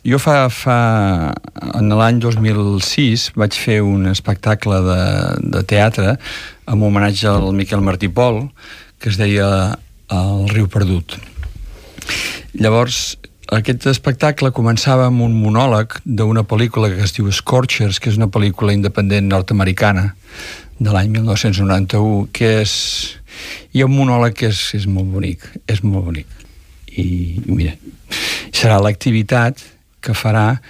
Jo en l'any 2006 vaig fer un espectacle de teatre amb homenatge al Miquel Martí i Pol, que es deia El riu perdut. Llavors, aquest espectacle començava amb un monòleg d'una pel·lícula que es diu Scorchers, que és una pel·lícula independent nord-americana de l'any 1991, que hi ha un monòleg que és molt bonic, i mira, serà l'activitat que farà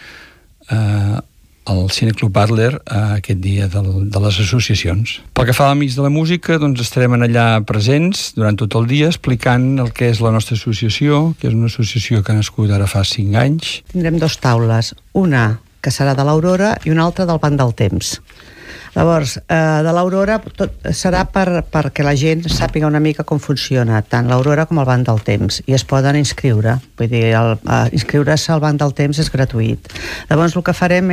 el Cineclub Adler aquest dia de les associacions. Pel que fa a Amics de la Música, doncs estarem allà presents durant tot el dia explicant el que és la nostra associació, que és una associació que ha nascut ara fa 5 anys. Tindrem 2 taules, una que serà de l'Aurora i una altra del Banc del Temps. Llavors, de l'Aurora serà perquè la gent sàpiga una mica com funciona tant l'Aurora com el Banc del Temps, i es poden inscriure. Vull dir, inscriure-se al Banc del Temps és gratuït. Llavors el que farem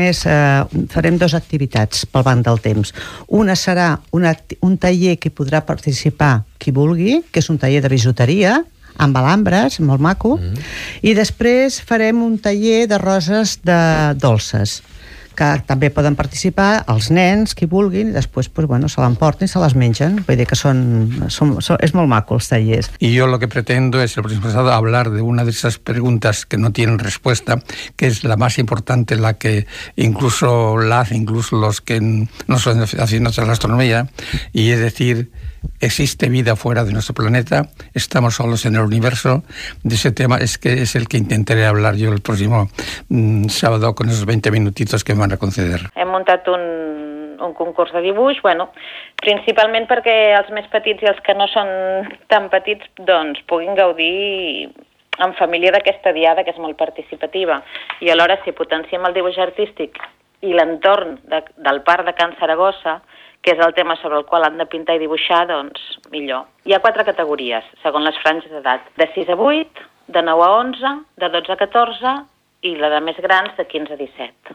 farem 2 activitats pel Banc del Temps. Una serà un taller que podrà participar qui vulgui, que és un taller de bisuteria amb alambres, molt maco, i després farem un taller de roses dolces, que també poden participar els nens, qui vulguin, i després se l'emporten i se les mengen. Vull dir que és molt maco els tallers. Y yo lo que pretendo es el próximo sábado hablar de una de esas preguntas que no tienen respuesta, que es la más importante, la que incluso los que no son aficionados a la astronomía, y es decir, ¿existe vida fuera de nuestro planeta? ¿Estamos solos en el universo? De ese tema es el que intentaré hablar yo el próximo sábado con esos 20 minutitos que me van a conceder. Hem muntat un concurs de dibuix, principalment perquè els més petits i els que no són tan petits doncs puguin gaudir en família d'aquesta diada, que és molt participativa, i alhora si potenciem el dibuix artístic i l'entorn del Parc de Can Saragossa, que és el tema sobre el qual han de pintar i dibuixar, doncs millor. Hi ha 4 categories, segons les franges d'edat. De 6 a 8, de 9 a 11, de 12 a 14 i la de més grans de 15 a 17.